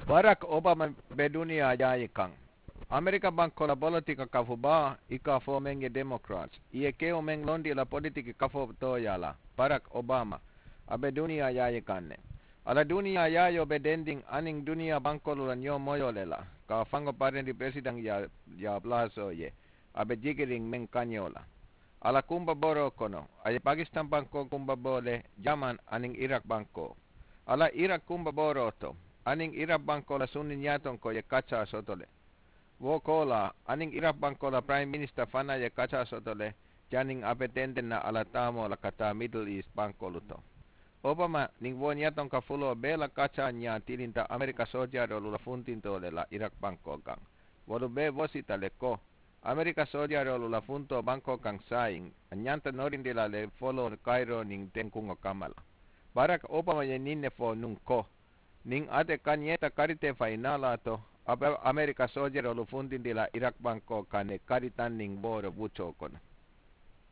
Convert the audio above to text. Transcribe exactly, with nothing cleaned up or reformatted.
Barak obama be duniyaa yaayi kaŋ. Amerika bankoo la bolotika kafu baa i ka a fo meŋ ye democrats i ye kewo meŋ londi i la politiki kafoo tooyaa la. Barak obama a be duniyaa yaayi kaŋ ne. A la duniyaa yaayoo be dendiŋ aniŋ duniyaa bankoolu la ñoo moyoo le la ka a faŋo parendi peresidaŋ yaa palaasoo ye. A be jikiriŋ meŋ kañoo la a la kumba booroo kono. A ye pakistan bankoo kumba boo le jaman aniŋ irak bankoo. A la irak kumba booroo to aniŋ irak bankoo la sunni ñaatonkoo ye kaccaa soto le. Wo koolaa aniŋ irak bankoo la piraim minista fanaa ye kaccaa soto le. Janniŋ a be tenteŋ na a la taamoo la ka taa midil iis bankoolu to. Obama niŋ wo ñatonka fuloo bee la kaccaa ñaa tilinta amerika soojaaroolu la funtintoo le la irak bankoo kaŋ. Wolu bee wosita le ko amerika soojaaroolu la funtoo bankoo kaŋ saayiŋ a ñanta norindi la le foloo kayiroo niŋ tenkuŋo kamma la. Barak obama ye ñiŋ ne fo nuŋ ko niŋ ate kañeeta karitee fayi naalaa to a be amerika soojeroolu funtindi la irak bankoo kaŋ ne kari taŋ niŋ wooro wuccoo kono.